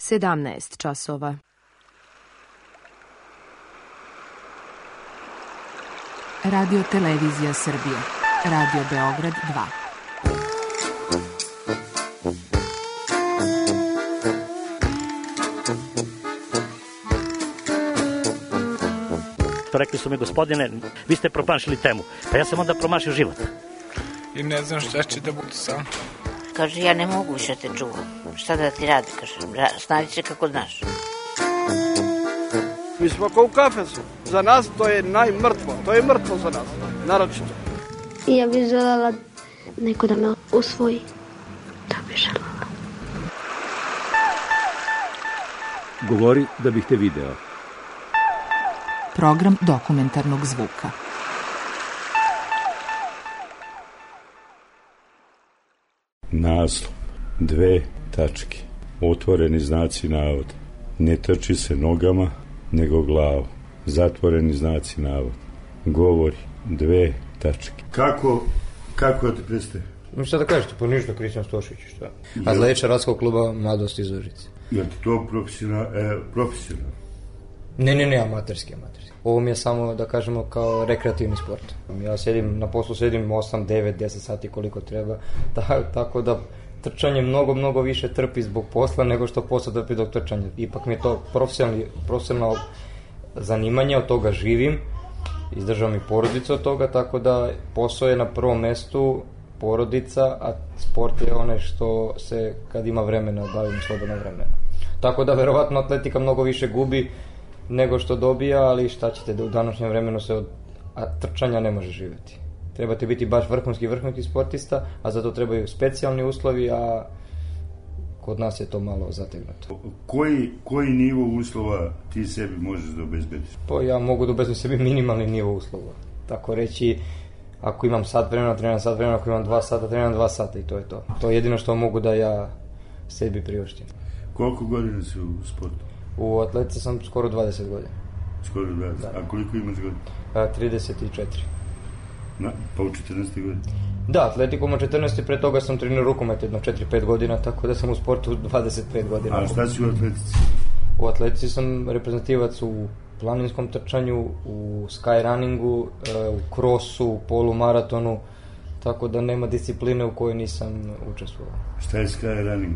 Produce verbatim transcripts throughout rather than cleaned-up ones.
sedamnaest časova. Radio Televizija Srbije. Radio Beograd dva. Rekli su mi, gospodine, vi ste promašili temu. Pa ja sam onda promašio život. I ne znam šta će da bude sam. Kaže, ja ne mogu više te čuvam. Šta da ti radi, kaže, snađi se kako znaš. Mi smo kao u kafesu. Za nas to je najmrtvo. To je mrtvo za nas, naročito. Ja bih željela neko da me usvoji. To bih željela. Govori da bih te video. Program dokumentarnog zvuka. Naslov. Dve tačke. Otvoreni znaci navoda. Ne trči se nogama, nego glavom. Zatvoreni znaci navoda. Govori. Dve tačke. Kako, kako ti predstavi? Šta da kažete, pa ništa, Kristijan Stošić, šta? Atletiča Radskog kluba Mladost iz Užice. Je li to profesionalno? E, profesional? Ne, ne, ne, amaterski, amaterski. Ovo mi je samo, da kažemo, kao rekreativni sport. Ja sedim, na poslu sedim osam, devet, deset sati koliko treba, ta, tako da trčanje mnogo, mnogo više trpi zbog posla nego što posao trpi dok trčanje. Ipak mi je to profesionalno zanimanje, od toga živim, izdržavam i porodicu od toga, tako da posao je na prvom mestu, porodica, a sport je onaj što se, kad ima vremena, bavim slobodno vremena. Tako da, verovatno, atletika mnogo više gubi nego što dobija, ali šta ćete, da u današnjem vremenu se od trčanja ne može živjeti. Trebate biti baš vrhunski, vrhunski sportista, a zato trebaju specijalni uslovi, a kod nas je to malo zategnuto. Koji, koji nivo uslova ti sebi možeš da obezbediš? Pa ja mogu da obezbedim sebi minimalni nivo uslova. Tako reći, ako imam sat vremena, treniram sat vremena, ako imam dva sata, treniram dva sata i to je to. To je jedino što mogu da ja sebi priuštim. Koliko godina si u sportu? U atletici sam skoro dvadeset godina. Skoro dvadeset? Da. A koliko imaš godina? A, trideset četiri. Na, pa u četrnaest godina? Da, atletikom u četrnaest, pre toga sam trenirao rukomet jedno četiri pet godina, tako da sam u sportu dvadeset pet godina. A šta si u atletici? U atletici sam reprezentativac u planinskom trčanju, u skyrunningu, u krosu, u polumaratonu, tako da nema discipline u kojoj nisam učestvovao. Šta je skyrunning?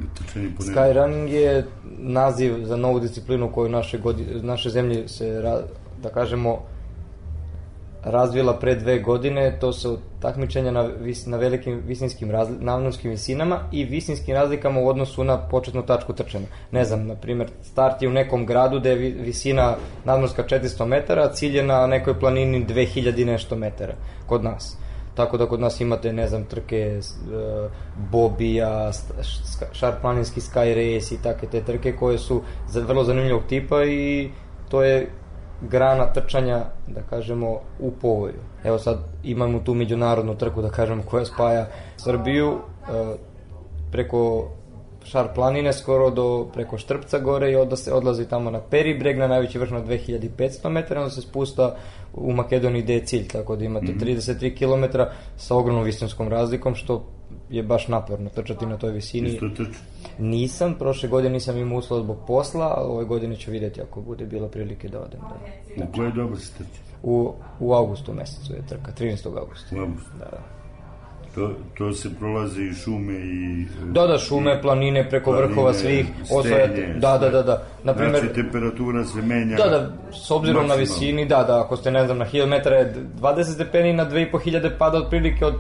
Skyrunning je naziv za novu disciplinu koju naše, godi, naše zemlje se, da kažemo, razvila pre dve godine. To su takmičenja na, vis, na velikim visinskim razli, nadmorskim visinama i visinskim razlikama u odnosu na početnu tačku trčanja. Ne znam, na primjer, start je u nekom gradu gde je visina nadmorska četiristo metara, a cilj je na nekoj planini dve hiljade nešto metara kod nas. Tako da kod nas imate, ne znam, trke uh, Bobija, šarplaninski sky race i takve te trke koje su vrlo zanimljivog tipa i to je grana trčanja, da kažemo, u povoju. Evo sad imamo tu međunarodnu trku, da kažemo, koja spaja Srbiju uh, preko Šar planine skoro do preko Štrpca gore i onda se odlazi tamo na Peribreg, na najveći vrh na dve hiljade petsto metara, onda se spusta u Makedoniji gde je cilj, tako da imate mm-hmm. trideset tri kilometra sa ogromnom visinskom razlikom, što je baš naporno trčati na toj visini. Isto trči? Nisam, prošle godine nisam imao uslova zbog posla, a ove godine ću vidjeti ako bude bilo prilike da odem. Da. U koje doba se trči? U, u augustu mesecu je trka, trinaestog augusta. U augustu? Da, da. To, to se prolaze i šume i... Da, da, šume, planine, preko planine, vrhova svih, osvojate. Da, da, da, da. Naprimer, znači, temperatura se menja... Da, da, s obzirom maksimalno na visini, da, da, ako ste, ne znam, na hiljadu metara je dvadeset stepeni, na dve i po hiljade pada otprilike od,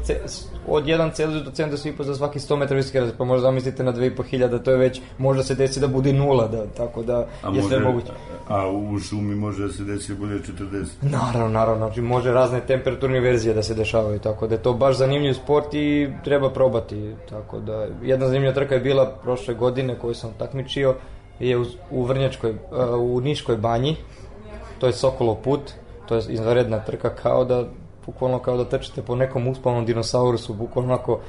od jedan Celzijus do sedamdeset i po za svaki sto metara visoke razlike, pa možda zamislite na dve i po hiljade, to je već, možda se desi da bude nula, da, tako da a je može, sve moguće. A u šumi može da se desi da bude četrdeset? Naravno, naravno, znači može razne temperaturne verzije da se dešavaju, tako da je to baš zanimljiv sport i treba probati, tako da jedna zanimljiva trka je bila prošle godine koju sam takmičio, je u, u Vrnjačkoj, u Niškoj banji, to je Sokolov put, to je izvanredna trka, kao da, bukvalno kao da trčite po nekom uspavnom dinosaurusu, bukvalno onako,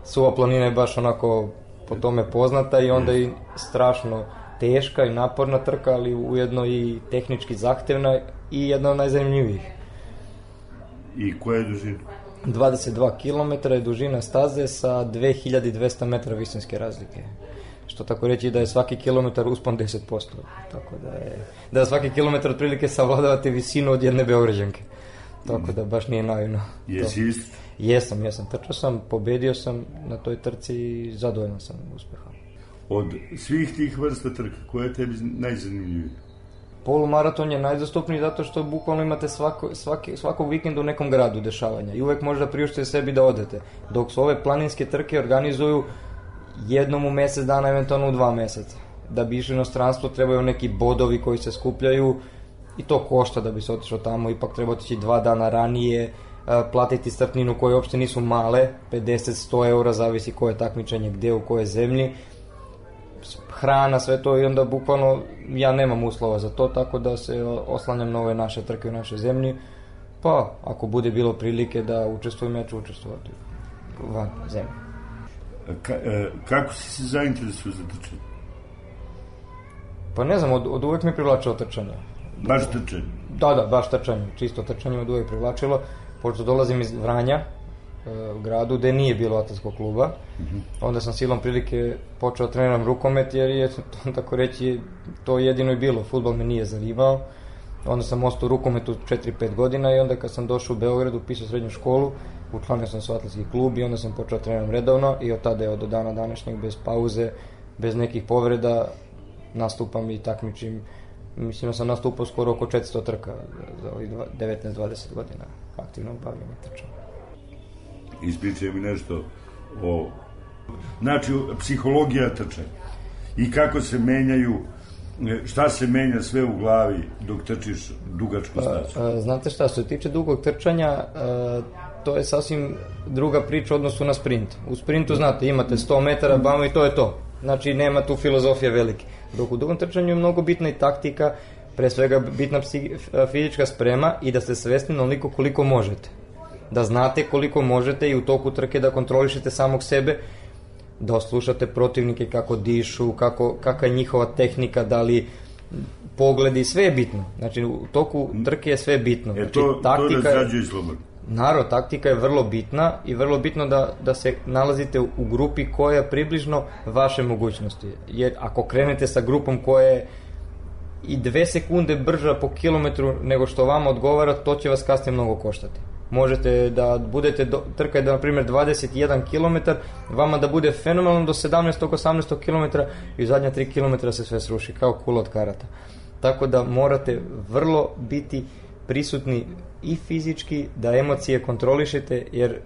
Suva planina je baš onako po tome poznata i onda i strašno teška i naporna trka, ali ujedno i tehnički zahtevna i jedna od najzanimljivijih. I koja je dužina? dvadeset dva kilometra je dužina staze sa dve hiljade dvesta metara visinske razlike. što tako reći da je svaki kilometar uspon deset posto. Tako da je, da svaki kilometar otprilike savladavate visinu od jedne Beograđanke. Tako da baš nije naivno. Jesi isti? Jesam, jesam. Trčao sam, pobedio sam na toj trci i zadovoljan sam uspehom. Od svih tih vrsta trka, koja je tebi najzanimljivija? Polumaraton je najdostupniji zato što bukvalno imate svako, svaki, svakog vikenda u nekom gradu dešavanja i uvek možda priuštite sebi da odete. Dok su ove planinske trke organizuju jednom u mesec dana, eventualno u dva meseca. Da bi išli u inostranstvo trebaju neki bodovi koji se skupljaju i to košta da bi se otišao tamo, ipak treba otići dva dana ranije, platiti startninu koje uopšte nisu male, pedeset do sto eura, zavisi koje takmičenje, gde, u koje zemlji, hrana, sve to i onda bukvalno ja nemam uslova za to, tako da se oslanjam na ove naše trke u našoj zemlji, pa ako bude bilo prilike da učestvujem, ja ću učestvovati van zemlje. Ka, e, kako si se zainteresuo za trčanje? Pa ne znam, od, od uvek me privlačilo trčanje. Baš trčanje? Da, da, baš trčanje, čisto trčanje me od uvek privlačilo, pošto dolazim iz Vranja, e, u gradu gde nije bilo atletskog kluba, uh-huh. Onda sam silom prilike počeo treniram rukomet, jer je, tako reći, to jedino i bilo, fudbal me nije zanimao. Onda sam ostao u rukometu četiri pet godina i onda kad sam došao u Beograd, upisao srednju školu, učlanio sam se u atletski klub i onda sam počeo treniram redovno i od tada je do dana današnjeg bez pauze, bez nekih povreda, nastupam i takmičim. Mislim da sam nastupao skoro oko četiristo trka za ovih devetnaest dvadeset godina aktivnog bavljenja trčanja. Ispričaj mi nešto o, znači, psihologija trčanja i kako se menjaju, šta se menja sve u glavi dok trčiš dugačku stazu? Znate šta, što se tiče dugog trčanja, to je sasvim druga priča u odnosu na sprint. U sprintu, znate, imate sto metara, bamo i to je to. Znači, nema tu filozofije velike. Dok u dugom trčanju je mnogo bitna i taktika, pre svega bitna psi, fizička sprema i da ste svesni onoliko koliko možete. Da znate koliko možete i u toku trke da kontrolišete samog sebe, da oslušate protivnike kako dišu, kako, kakva je njihova tehnika, da li pogledi, sve je bitno. Znači, u toku trke je sve bitno. Znači, e to, taktika to razrađuje slobodno. Naravno, taktika je vrlo bitna i vrlo bitno da, da se nalazite u, u grupi koja je približno vaše mogućnosti. Jer ako krenete sa grupom koja je i dve sekunde brža po kilometru nego što vama odgovara, to će vas kasnije mnogo koštati. Možete da budete, do, trkaj da na primjer dvadeset jedan kilometar, vama da bude fenomenalno do sedamnaest osamnaest kilometara i u zadnja tri kilometra se sve sruši, kao kula od karata. Tako da morate vrlo biti prisutni i fizički, da emocije kontrolišete, jer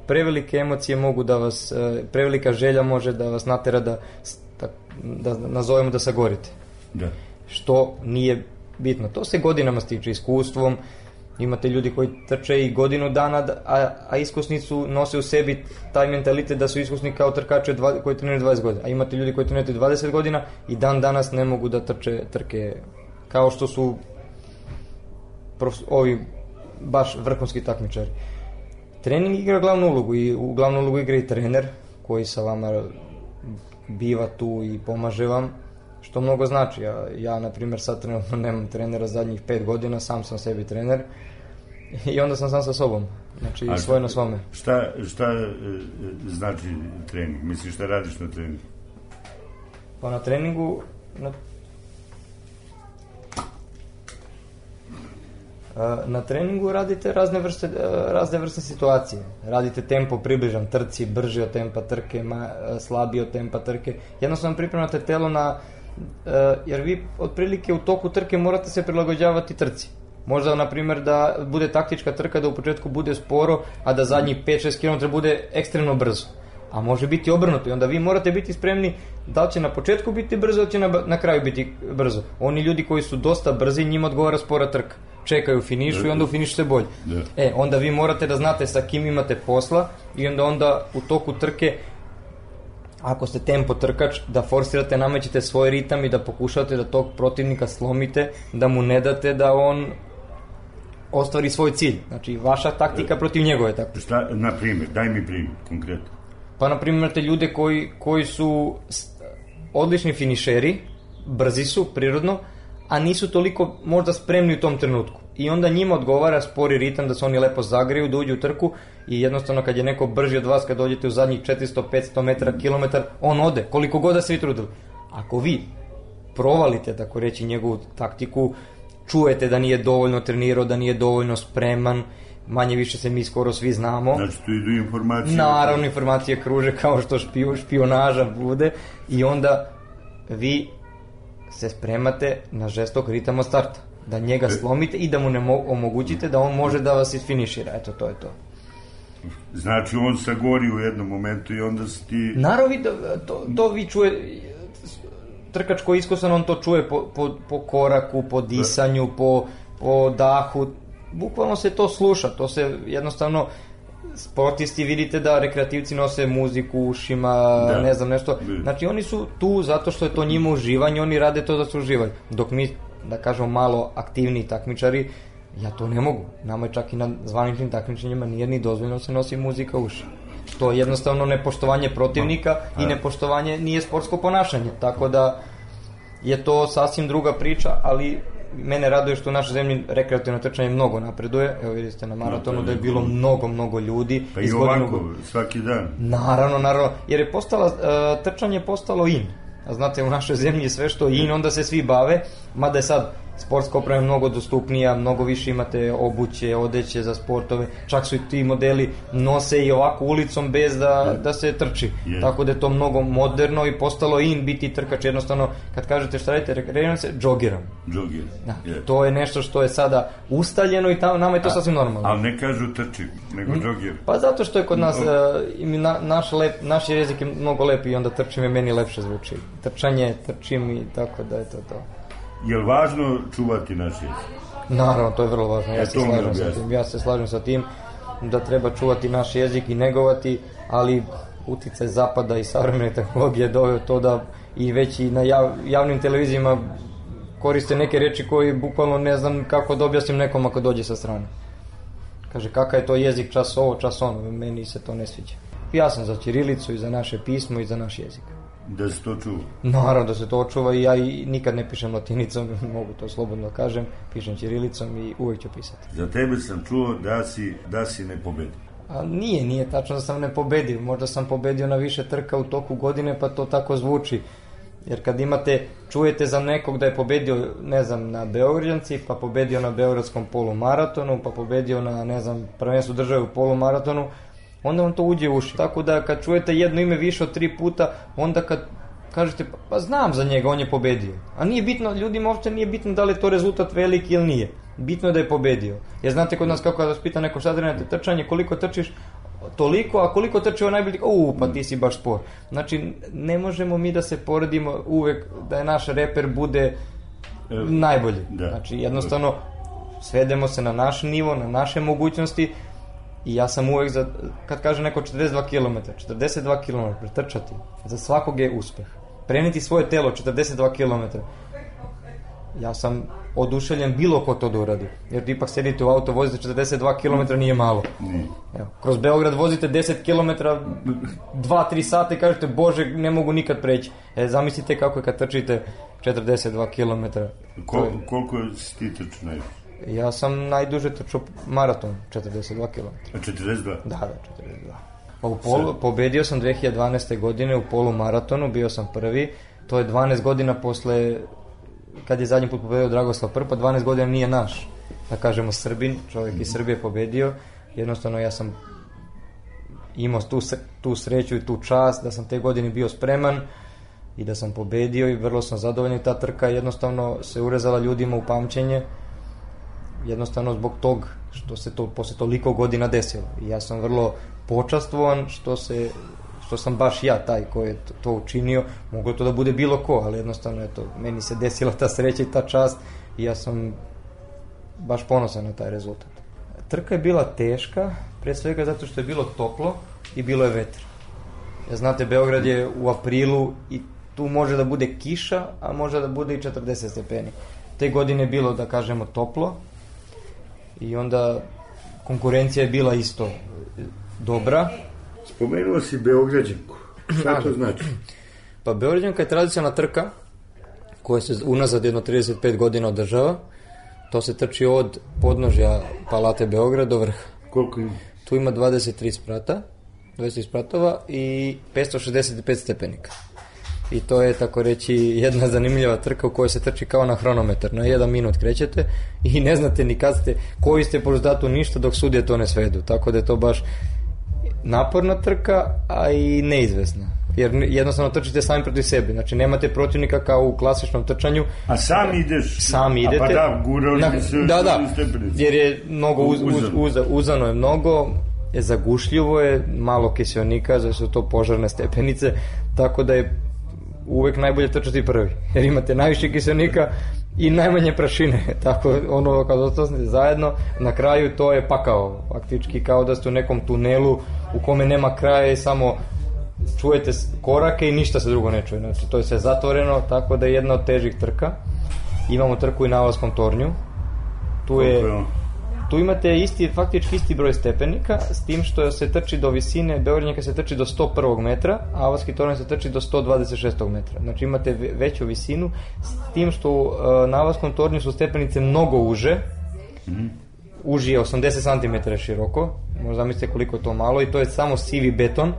prevelike emocije mogu da vas, prevelika želja može da vas natera da, da, da nazovemo da sagorite. Da. Što nije bitno. To se godinama stiče iskustvom, imate ljudi koji trče i godinu dana, a, a iskusnicu nose u sebi taj mentalitet da su iskusni kao trkače dva, koji treniraju dvadeset godina. A imate ljudi koji treniraju dvadeset godina i dan danas ne mogu da trče trke kao što su prof, ovi baš vrhunski takmičari. Trening igra glavnu ulogu i u glavnu ulogu igra i trener koji sa vama biva tu i pomaže vam, što mnogo znači. Ja, ja na primjer, sad trenutno nemam trenera zadnjih pet godina, sam sam sebi trener i onda sam sam sa sobom, znači a svoj na svome. Šta, šta e, znači trening? Misliš, šta radiš na treningu? Pa na treningu na, na treningu radite razne vrste, razne vrste situacije. Radite tempo približan trci, brži od tempa trke, ma, slabiji od tempa trke. Jednostavno pripremate telo na, jer vi otprilike u toku trke morate se prilagođavati trci. Možda, na primjer, da bude taktička trka, da u početku bude sporo, a da zadnjih pet šest kilometara bude ekstremno brzo. A može biti obrnuto i onda vi morate biti spremni da li će na početku biti brzo, ili će na, na kraju biti brzo. Oni ljudi koji su dosta brzi, njima odgovara spora trka. Čekaju u finišu i onda u finišu se bolje. E, onda vi morate da znate sa kim imate posla i onda onda u toku trke, ako ste tempo trkač, da forsirate, namećete svoj ritam i da pokušate da tog protivnika slomite, da mu ne date da on ostvari svoj cilj. Znači, vaša taktika protiv njegove taktika. Šta, na primjer, daj mi primjer, konkretno. Pa, na primjer, imate ljude koji, koji su odlični finišeri, brzi su, prirodno, a nisu toliko možda spremni u tom trenutku. i onda njima odgovara spori ritam da se oni lepo zagreju, da uđu u trku i jednostavno kad je neko brži od vas, kad dođete u zadnjih četiristo petsto metara, kilometar, on ode, koliko god da se vi trudili. Ako vi provalite, tako reći, njegovu taktiku, čujete da nije dovoljno trenirao, da nije dovoljno spreman, manje više se mi skoro svi znamo. Znači tu idu informacije. Naravno, informacije kruže kao što špio, špionaža bude i onda vi se spremate na žestok ritam od starta. Da njega slomite i da mu ne omogućite da on može da vas isfinišira. Eto, to je to. Znači on sagori u jednom momentu i onda si ti... Naravno, to, to vi čuje... Trkač koji je iskusan, on to čuje po, po, po koraku, po disanju, po, po dahu. Bukvalno se to sluša, to se jednostavno... Sportisti vidite da rekreativci nose muziku u ušima, da. Ne znam nešto. Znači oni su tu zato što je to njima uživanje, oni rade to da se uživaju. Dok mi, da kažemo, malo aktivniji takmičari, ja to ne mogu. Nama je čak i na zvaničnim takmičenjima nije ni dozvoljeno da se nosi muzika u uši. To je jednostavno nepoštovanje protivnika i nepoštovanje nije sportsko ponašanje. Tako da je to sasvim druga priča, ali mene raduje što u našoj zemlji rekreativno trčanje mnogo napreduje. Evo vidite na maratonu da je bilo mnogo, mnogo ljudi. Pa i ovako, svaki dan. Naravno, naravno. Jer je postala, uh, trčanje je postalo in. A znate, u našoj zemlji je sve što je in, onda se svi bave. Mada je sad sportska oprema mnogo dostupnija, mnogo više imate obuće, odeće za sportove. Čak su i ti modeli nose i ovako ulicom bez da, da se trči. Yes. Tako da je to mnogo moderno i postalo in biti trkač. Jednostavno, kad kažete šta radite, rekreiramo se, džogiram. Džogiram. Da, yes. To je nešto što je sada ustaljeno i tamo, nama je to A, sasvim normalno. Ali ne kažu trči, nego hmm? džogir. Pa zato što je kod nas, uh, na, naš, lep, naš jezik je mnogo lep i onda trčim je meni lepše zvuči. Trčanje, trčim i tako da je to to. Je li važno čuvati naš jezik? Naravno, to je vrlo važno. Ja, se slažem sa tim. ja se slažem sa tim da treba čuvati naš jezik i negovati, ali uticaj zapada i savremene tehnologije doveo to da i već i na jav, javnim televizijama koriste neke reči koji bukvalno ne znam kako da objasnim nekom ako dođe sa strane. Kaže, kakav je to jezik, čas ovo, čas ono, meni se to ne sviđa. Ja sam za ćirilicu i za naše pismo i za naš jezik. Da se to čuva? Naravno da se to čuva i ja i nikad ne pišem latinicom, mogu to slobodno kažem, pišem ćirilicom i uvijek ću pisati. Za tebe sam čuo da si, da si ne pobedio. A nije, nije tačno da sam ne pobedio, možda sam pobedio na više trka u toku godine pa to tako zvuči. Jer kad imate, čujete za nekog da je pobedio, ne znam, na Beograđanci, pa pobedio na Beogradskom polumaratonu, pa pobedio na, ne znam, prvenstvu države u polumaratonu, onda vam to uđe u uši. Tako da kad čujete jedno ime više od tri puta, onda kad kažete, pa, pa znam za njega, on je pobedio. A nije bitno, ljudima uopšte nije bitno da li je to rezultat veliki ili nije. Bitno je da je pobedio. Jer znate kod nas kako da vas pita neko šta trenate trčanje, koliko trčiš, toliko, a koliko trči ovo najbolji, u, pa ti si baš spor. Znači, ne možemo mi da se poredimo uvek da je naš reper bude najbolji. Znači, jednostavno, svedemo se na naš nivo, na naše mogućnosti i ja sam uvek, za, kad kaže neko četrdeset dva kilometra, četrdeset dva kilometra trčati, za svakog je uspeh. Preneti svoje telo četrdeset dva kilometra. Ja sam oduševljen bilo ko to da uradi. Jer ipak sedite u auto, vozite četrdeset dva kilometra, nije malo. Evo, kroz Beograd vozite deset kilometara, dva tri sata i kažete, bože, ne mogu nikad preći. E, zamislite kako je kad trčite četrdeset dva kilometra. Kol, koliko si ti trčao najviše? Ja sam najduže trčao maraton, četrdeset dva kilometra. četrdeset dva? Da, da, četrdeset dva. Pa u polu, pobedio sam dve hiljade dvanaeste. godine u polumaratonu, bio sam prvi. To je dvanaest godina posle, kad je zadnji put pobedio Dragoslav Prpa, dvanaest godina nije naš, da kažemo Srbin, čovjek iz Srbije pobedio. Jednostavno ja sam imao tu, tu sreću i tu čast da sam te godine bio spreman i da sam pobedio i vrlo sam zadovoljan. Ta trka jednostavno se urezala ljudima u pamćenje, jednostavno zbog tog što se to posle toliko godina desilo. I ja sam vrlo počastvovan što se što sam baš ja taj koji je to, to učinio. Moglo to da bude bilo ko, ali jednostavno eto, meni se desila ta sreća i ta čast i ja sam baš ponosan na taj rezultat. Trka je bila teška, pre svega zato što je bilo toplo i bilo je vetra. Ja znate, Beograd je u aprilu i tu može da bude kiša, a može da bude i četrdeset stepeni. Te godine je bilo, da kažemo, toplo i onda konkurencija je bila isto dobra. Spomenuo si Beograđanku. Šta to znači? Pa Beograđanka je tradicionalna trka koja se unazad jedno trideset pet godina održava. To se trči od podnožja Palate Beograd do vrha. Koliko ima? Tu ima dvadeset tri sprata, dvadeset tri spratova i petsto šezdeset pet stepenika. I to je, tako reći, jedna zanimljiva trka u kojoj se trči kao na hronometar. Na jedan minut krećete i ne znate ni kad ste, koji ste po rezultatu ništa dok sudije to ne svedu. Tako da je to baš naporna trka, a i neizvesna. Jer jednostavno trčite sami protiv sebe. Znači nemate protivnika kao u klasičnom trčanju. A sam ideš? Sami idete. A pa da, gurali na, se da, da, jer je mnogo uz, uz, uz, uzano je mnogo, je zagušljivo je, malo kiseonika, zato su to požarne stepenice, tako da je uvek najbolje trčati prvi, jer imate najviše kiseonika i najmanje prašine, tako ono kad ostane zajedno, na kraju to je pakao, faktički kao da ste u nekom tunelu u kome nema kraja i samo čujete korake i ništa se drugo ne čuje, znači to je sve zatvoreno, tako da je jedna od težih trka. Imamo trku i na Avalskom tornju, tu je, tu imate isti, faktički isti broj stepenika, s tim što se trči do visine, Beogradnjaka se trči do sto prvog metra, a Avalski tornj se trči do sto dvadeset šestog metra, znači imate veću visinu, s tim što uh, na Avalskom tornju su stepenice mnogo uže, mm-hmm. uži je osamdeset centimetara široko, možda zamislite koliko je to malo, i to je samo sivi beton,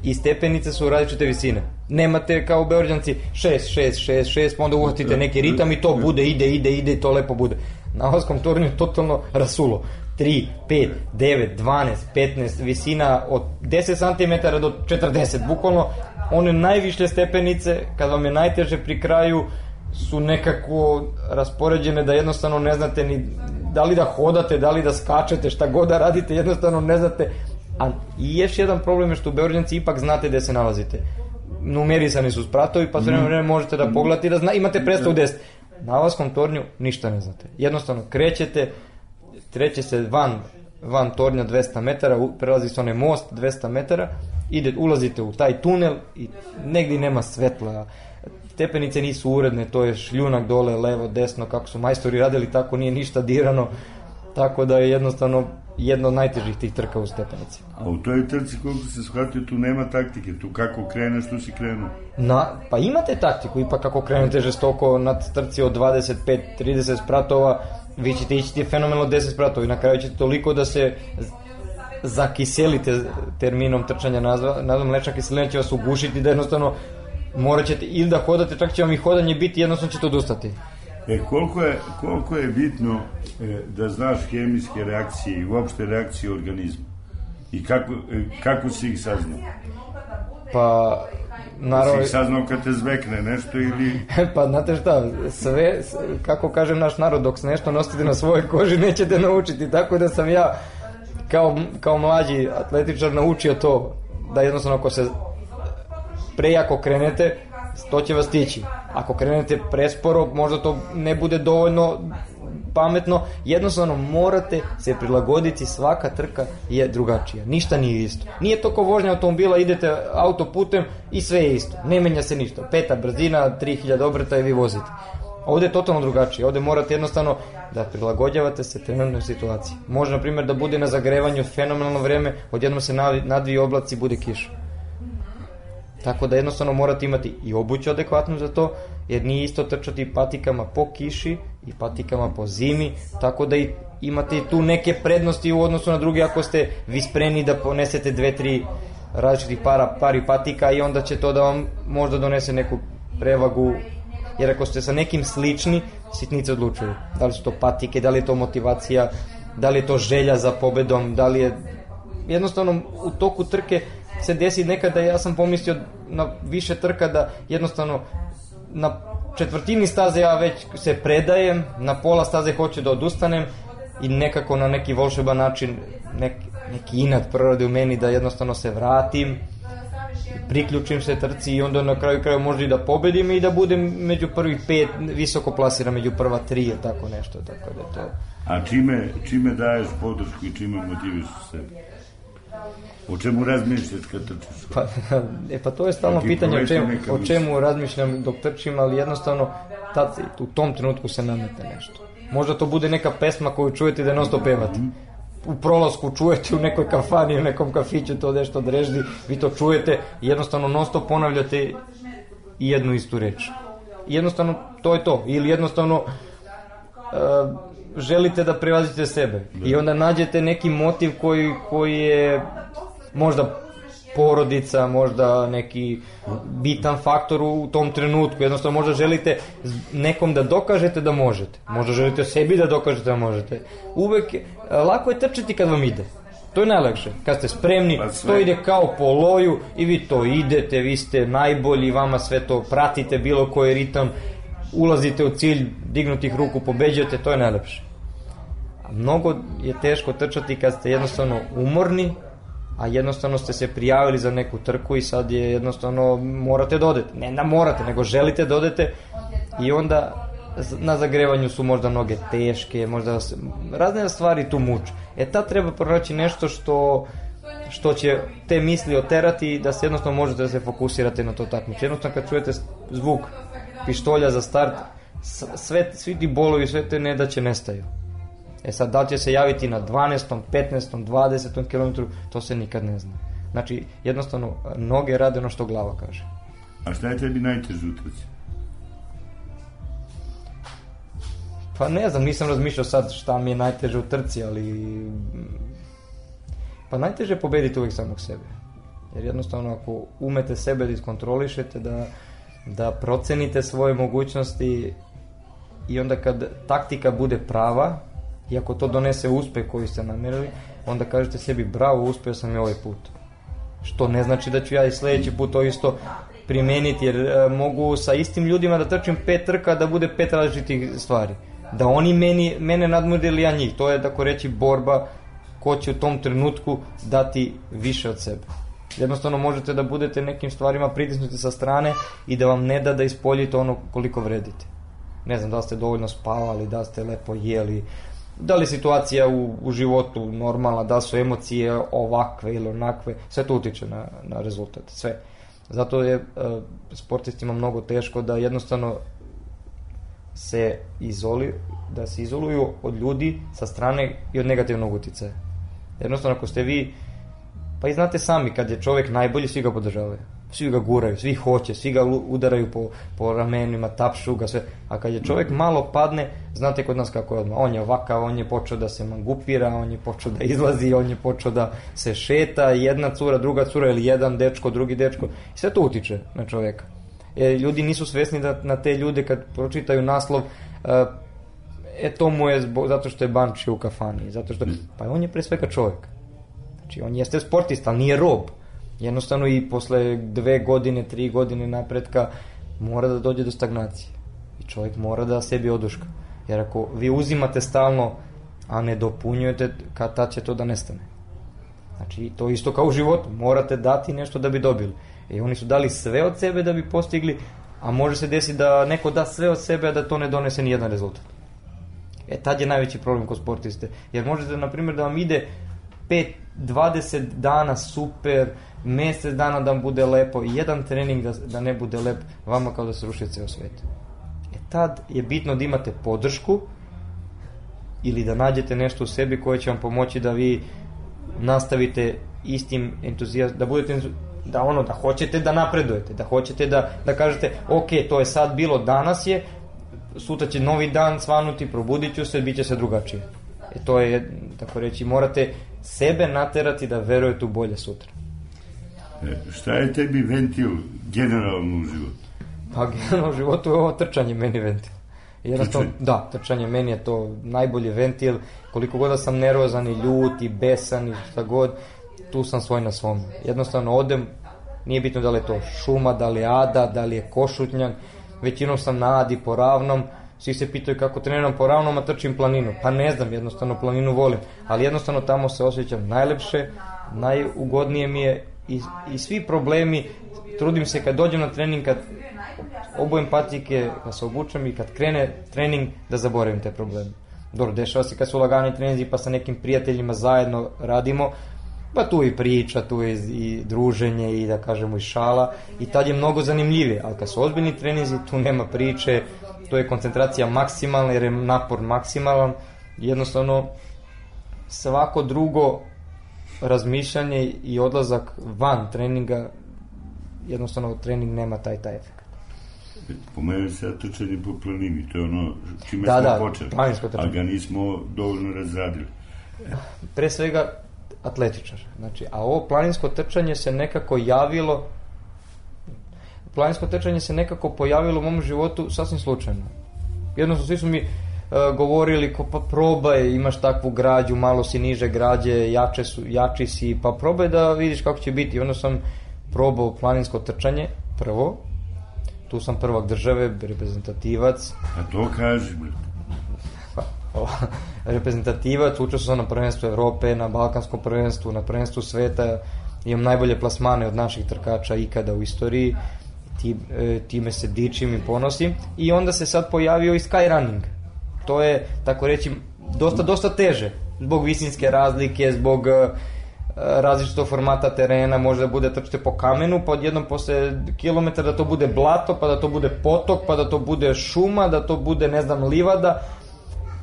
i stepenice su različite visine. Nemate kao Beograđanci šest, šest, šest, šest, pa onda uhvatite neki ritam i to bude, ide, ide, ide i to lepo bude. Na Avalskom tornju je totalno rasulo. tri, pet, devet, dvanaest, petnaest, visina od deset centimetara do četrdeset. Bukvalno one najviše stepenice, kad vam je najteže pri kraju, su nekako raspoređene da jednostavno ne znate ni da li da hodate, da li da skačete, šta god da radite, jednostavno ne znate. A i još jedan problem je što u Beograđanci ipak znate gde se nalazite. Numerisani su spratovi, pa sve vreme možete da pogledate i da zna, imate predstavu gde ste. Na Avalskom tornju ništa ne znate. Jednostavno krećete, treće se van, van tornja dvesta metara, prelazi se onaj most dvesta metara, ide, ulazite u taj tunel i negdje nema svetla. Stepenice nisu uredne, to je šljunak dole, levo, desno, kako su majstori radili, tako nije ništa dirano. Tako da je jednostavno jedna od najtežih tih trka u stepenici. A u toj trci, koliko se shvatio, tu nema taktike, tu kako kreneš, tu si krenuo. Na, pa imate taktiku, ipak kako krenete žestoko na trci od dvadeset pet trideset spratova, vi ćete ići fenomenalno deset spratova i na kraju ćete toliko da se zakiselite terminom trčanja nazva, mlečna kiselina će vas ugušiti da jednostavno morat ćete ili da hodate, čak će vam i hodanje biti, jednostavno ćete odustati. E, koliko je, koliko je bitno e, da znaš hemijske reakcije i uopšte reakcije organizma? I kako, e, kako si ih saznao? Pa, naravno... Si ih saznao kad te zvekne nešto ili... Pa, znate šta, sve, kako kaže naš narod, dok se nešto nosite na svojoj koži, nećete naučiti. Tako da sam ja, kao, kao mlađi atletičar, naučio to, da jednostavno ako se prejako krenete, to će vas stići. Ako krenete presporo, možda to ne bude dovoljno pametno. Jednostavno morate se prilagoditi, svaka trka je drugačija. Ništa nije isto. Nije to kao vožnja automobila, idete autoputem i sve je isto. Ne menja se ništa. Peta brzina, tri hiljade obrta i vi vozite. Ovdje je totalno drugačije. Ovdje morate jednostavno da prilagođavate se trenutnoj situaciji. Može, na primjer, da bude na zagrevanju fenomenalno vreme, odjednom se nadvije oblaci, bude kiša. Tako da jednostavno morate imati i obuću adekvatnu za to, jer nije isto trčati patikama po kiši i patikama po zimi, tako da i imate tu neke prednosti u odnosu na druge ako ste vi spremni da ponesete dve, tri različitih para, pari patika i onda će to da vam možda donese neku prevagu, jer ako ste sa nekim slični, sitnice odlučuju. Da li su to patike, da li je to motivacija, da li je to želja za pobedom, da li je jednostavno u toku trke se desi nekada, ja sam pomislio na više trka da jednostavno na četvrtini staze ja već se predajem, na pola staze hoću da odustanem i nekako na neki volšeban način nek, neki inat proradi u meni da jednostavno se vratim, priključim se trci i onda na kraju kraju možda i da pobedim i da budem među prvih pet, visoko plasiram među prva tri ili tako nešto. Tako da to... A čime, čime daješ podršku i čime motiviš sebe? O čemu razmišljaš kad trčiš? Pa, e, pa to je stalno pitanje o čemu, o čemu razmišljam dok trčim, ali jednostavno tad, u tom trenutku se nametne nešto. Možda to bude neka pesma koju čujete da non stop pevate. U prolasku čujete u nekoj kafani, u nekom kafiću to nešto dreždi, vi to čujete i jednostavno non stop ponavljate jednu istu reč. I jednostavno to je to. Ili jednostavno uh, želite da prevazite sebe. I onda nađete neki motiv koji, koji je možda porodica, možda neki bitan faktor u tom trenutku. Jednostavno možda želite nekom da dokažete da možete. Možda želite sebi da dokažete da možete. Uvek, lako je trčati kad vam ide. To je najlakše. Kad ste spremni, to ide kao po loju i vi to idete, vi ste najbolji, vama sve to pratite, bilo koji ritam, ulazite u cilj, dignutih ruku, pobeđujete, to je najlepše. A mnogo je teško trčati kad ste jednostavno umorni, a jednostavno ste se prijavili za neku trku i sad je jednostavno morate da odete. Ne da morate, nego želite da odete i onda na zagrevanju su možda noge teške, možda se, razne stvari tu muče. E tad treba pronaći nešto što, što će te misli oterati da se jednostavno možete da se fokusirate na to takmičenje. Jednostavno kad čujete zvuk pištolja za start, sve, svi ti bolovi, sve te nedaće nestaju. E sad, da li će se javiti na dvanaestom, petnaestom, dvadesetom kilometru, to se nikad ne zna. Znači, jednostavno, noge rade ono što glava kaže. A šta je tebi najteže u trci? Pa ne znam, nisam razmišljao sad šta mi je najteže u trci, ali... Pa najteže je pobediti uvijek samog sebe. Jer jednostavno, ako umete sebe da iskontrolišete, da, da procenite svoje mogućnosti i onda kad taktika bude prava, i ako to donese uspeh koji ste namjerili, onda kažete sebi bravo, uspio sam i ovaj put. Što ne znači da ću ja i sljedeći put to isto primeniti, jer e, mogu sa istim ljudima da trčim pet trka, da bude pet različitih stvari. Da oni meni, mene nadmude ili ja njih. To je, tako reći, borba ko će u tom trenutku dati više od sebe. Jednostavno možete da budete nekim stvarima pritisnuti sa strane i da vam ne da da ispoljite ono koliko vredite. Ne znam, da ste dovoljno spavali, da ste lepo jeli, da li je situacija u, u životu normalna, da su emocije ovakve ili onakve, sve to utiče na, na rezultat, sve. Zato je e, sportistima mnogo teško da jednostavno se izoli, da se izoluju od ljudi sa strane i od negativnog uticaja. Jednostavno ako ste vi, pa i znate sami, kad je čovjek najbolji, svi ga podržavaju. Svi ga guraju, svi hoće, svi ga udaraju po, po ramenima, tapšu ga, sve. A kad je čovjek malo padne, znate kod nas kako je odmah. On je ovakav, on je počeo da se mangupira, on je počeo da izlazi, on je počeo da se šeta, jedna cura, druga cura ili jedan dečko, drugi dečko. I sve to utiče na čovjeka. E, ljudi nisu svesni da na te ljude kad pročitaju naslov, e, e to mu je zbog, zato što je banči u kafani, zato što, pa on je pre svega čovjek. Znači on jeste sportista, ali nije rob. Jednostavno i posle dve godine, tri godine napretka mora da dođe do stagnacije. I čovjek mora da sebi oduška. Jer ako vi uzimate stalno, a ne dopunjujete, kad tad će to da nestane. Znači to isto kao u životu. Morate dati nešto da bi dobili. I oni su dali sve od sebe da bi postigli, a može se desiti da neko da sve od sebe, a da to ne donese ni jedan rezultat. E tad je najveći problem kod sportiste. Jer možete, na primjer, da vam ide pet, dvadeset dana super, mjesec dana da vam bude lepo i jedan trening da, da ne bude lep, vama kao da se ruši ceo svet. E tad je bitno da imate podršku ili da nađete nešto u sebi koje će vam pomoći da vi nastavite istim entuzijazmom, da budete, da ono, da hoćete da napredujete, da hoćete da, da kažete ok, to je sad bilo, danas je, sutra će novi dan svanuti, probudit ću se, bit će se drugačije. E to je, tako reći, morate sebe naterati da verujete u bolje sutra. E, šta je tebi ventil generalno u životu? Pa generalno u životu je ovo trčanje meni ventil. Jednostavno, da, trčanje meni je to najbolji ventil. Koliko god da sam nervozan i ljut i besan i šta god, tu sam svoj na svom. Jednostavno odem, nije bitno da li je to šuma, da li je ada, da li je košutnjak, većinom sam na adi po ravnom. Svi se pitaju kako treniram po ravnom, a trčim planinu. Pa ne znam, jednostavno planinu volim. Ali jednostavno tamo se osjećam najlepše, najugodnije mi je i, i svi problemi, trudim se kad dođem na trening, kad obujem patike, kad se obučem i kad krene trening, da zaboravim te probleme. Dobro, dešava se kad su lagani treninzi pa sa nekim prijateljima zajedno radimo, pa tu i priča, tu je i druženje i da kažemo i šala i tad je mnogo zanimljivije, ali kad su ozbiljni treninzi tu nema priče, to je koncentracija maksimalna jer je napor maksimalan, jednostavno svako drugo razmišljanje i odlazak van treninga, jednostavno trening nema taj taj efekt. Pomenuo se trčanje po planini, to je ono čime da, smo da, počeli, a ga nismo dovoljno razradili. Pre svega atletičar, znači, a ovo planinsko trčanje se nekako javilo, planinsko trčanje se nekako pojavilo u mom životu sasvim slučajno. Jednostavno, svi su mi uh, govorili, ko, pa probaj, imaš takvu građu, malo si niže građe, jače su, jači si, pa probaj da vidiš kako će biti. Onda sam probao planinsko trčanje, prvo, tu sam prvak države, reprezentativac. A to kaži, brate. Reprezentativac, učeo sam na prvenstvu Evrope, na balkanskom prvenstvu, na prvenstvu sveta, imam najbolje plasmane od naših trkača ikada u istoriji, Ti, e, time se dičim i ponosim. I onda se sad pojavio i skyrunning. To je, tako reći, dosta, dosta teže, zbog visinske razlike, zbog e, različitog formata terena, može da bude trčite po kamenu, pa odjednom posle kilometra da to bude blato, pa da to bude potok, pa da to bude šuma, da to bude, ne znam, livada.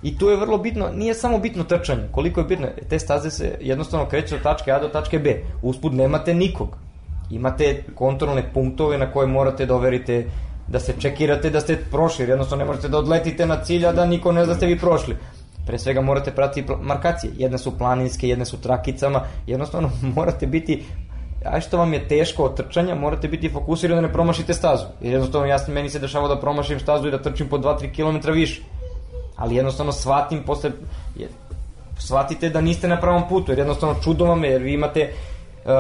I tu je vrlo bitno, nije samo bitno trčanje, koliko je bitno, te staze se jednostavno kreću od tačke A do tačke B, usput nemate nikog, imate kontrolne punktove na koje morate da overite, da se čekirate da ste prošli, jer jednostavno ne možete da odletite na cilj, a da niko ne zna da ste vi prošli. Pre svega morate pratiti markacije, jedne su planinske, jedne su trakicama, jednostavno morate biti, a što vam je teško od trčanja, morate biti fokusirani da ne promašite stazu, jer jednostavno jasno meni se dešava da promašim stazu i da trčim po dva do tri kilometra više. Ali jednostavno shvatim posle, shvatite da niste na pravom putu, jer jednostavno čudo vam je, jer vi imate uh,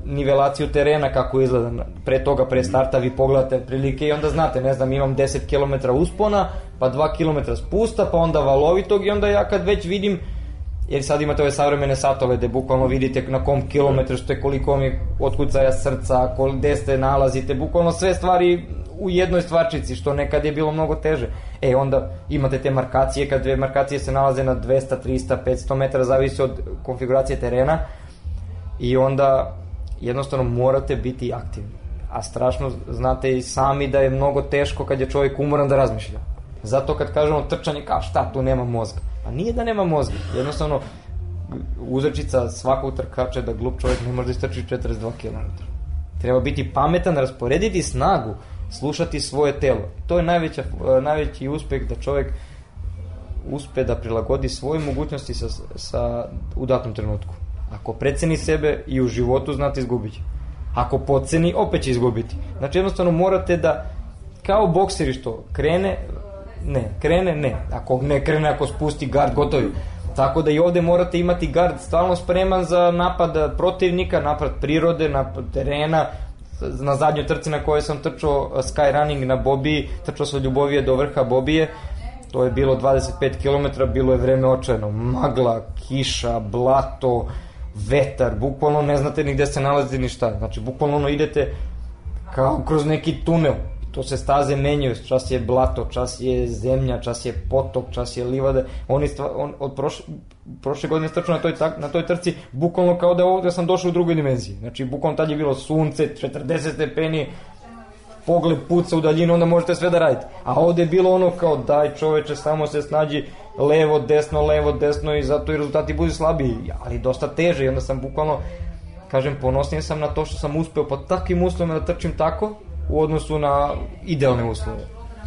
nivelaciju terena kako izgleda, pre toga, pre starta vi pogledate prilike i onda znate, ne znam, imam deset kilometara uspona, pa dva kilometra spusta, pa onda valovitog i onda ja kad već vidim, jer sad imate ove savremene satove gde bukvalno vidite na kom kilometru ste, koliko vam je otkucaja srca, gde ste nalazite, bukvalno sve stvari u jednoj stvarčici, što nekad je bilo mnogo teže. E, onda imate te markacije, kad dve markacije se nalaze na dvesta, trista, petsto metara, zavisi od konfiguracije terena i onda jednostavno morate biti aktivni. A strašno znate i sami da je mnogo teško kad je čovjek umoran da razmišlja. Zato kad kažemo trčanje, kao šta, tu nema mozga. A nije da nema mozga, jednostavno uzrečica svakog trkača da glup čovjek ne može da istrči četrdeset dva kilometra. Treba biti pametan, rasporediti snagu, slušati svoje telo. To je najveća, najveći uspeh da čovjek uspe da prilagodi svoje mogućnosti sa, sa, u datom trenutku. Ako preceni sebe i u životu, znate, izgubit će. Ako podceni, opet će izgubiti. Znači jednostavno morate da, kao bokseri što krene, ne, krene, ne. Ako ne krene, ako spusti gard, gotovi. Tako da i ovde morate imati gard stalno spreman za napad protivnika, napad prirode, napad terena. Na zadnjoj trci na kojoj sam trčao skyrunning na Bobiji, trčao sam od Ljubovije do vrha Bobije, to je bilo dvadeset pet kilometara, bilo je vreme očajno, magla, kiša, blato, vetar, bukvalno ne znate ni gde se nalazite ni šta, znači bukvalno ono idete kao kroz neki tunel, to se staze menjaju, čas je blato, čas je zemlja, čas je potok, čas je livada, oni stva, on, od prošle, prošle godine strčao na toj, na toj trci, bukvalno kao da ovdje sam došao u drugoj dimenziji, znači bukvalno tad je bilo sunce, četrdeset stepeni, pogled puca u daljinu, onda možete sve da radite, a ovdje je bilo ono kao daj čoveče, samo se snađi levo, desno, levo, desno i zato i rezultati budu slabiji, ali dosta teže i onda sam bukvalno, kažem, ponosnije sam na to što sam uspeo pod takvim uslovima da trčim tako, u odnosu na idealne uslove.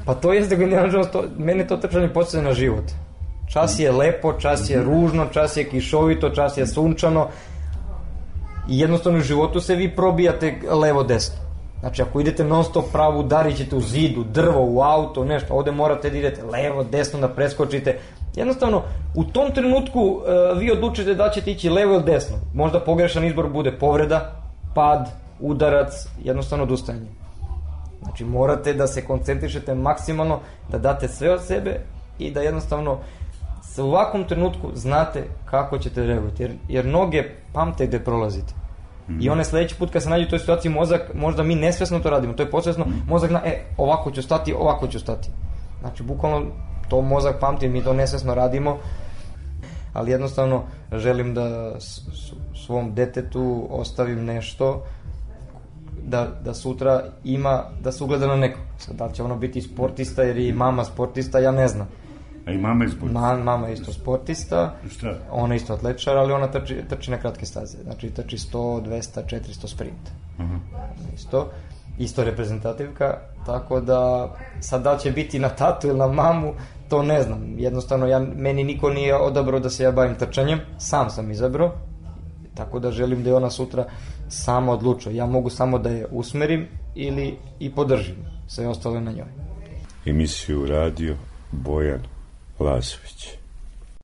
Pa to jeste generalno, mene to trčanje podsjeća na život. Čas je lepo, čas je ružno, čas je kišovito, čas je sunčano i jednostavno u životu se vi probijate levo-desno. Znači ako idete non stop pravo, udarit ćete u zidu, drvo, u auto, nešto, ovde morate da idete levo-desno, da preskočite. Jednostavno, u tom trenutku uh, vi odlučite da ćete ići levo ili desno. Možda pogrešan izbor bude povreda, pad, udarac, jednostavno odustajanje. Znači morate da se koncentrišete maksimalno, da date sve od sebe i da jednostavno u ovakvom trenutku znate kako ćete reagovati, jer, jer noge pamte gde prolazite. Mm-hmm. I one sledeći put kad se nađe u toj situaciji mozak, možda mi nesvesno to radimo, to je podsvesno, mozak zna, e, ovako ću stati, ovako ću stati. Znači bukvalno to mozak pamti, mi to nesvesno radimo, ali jednostavno želim da svom detetu ostavim nešto Da, da sutra ima, da se ugleda na nekog. Da li će ono biti sportista jer je mama sportista, ja ne znam. A i mama je sportista? Ma, mama je isto sportista. Šta? Ona je isto atletičar, ali ona trči, trči na kratke staze. Znači trči sto, dvesta, četiristo sprint. Uh-huh. Isto. isto reprezentativka, tako da sad da će biti na tatu ili na mamu, to ne znam. Jednostavno, ja, meni niko nije odabrao da se ja bavim trčanjem, sam sam izabrao, tako da želim da je ona sutra sama odlučuje. Ja mogu samo da je usmerim ili i podržim, sve ostalo na njoj. Emisiju radio Bojan Lazović.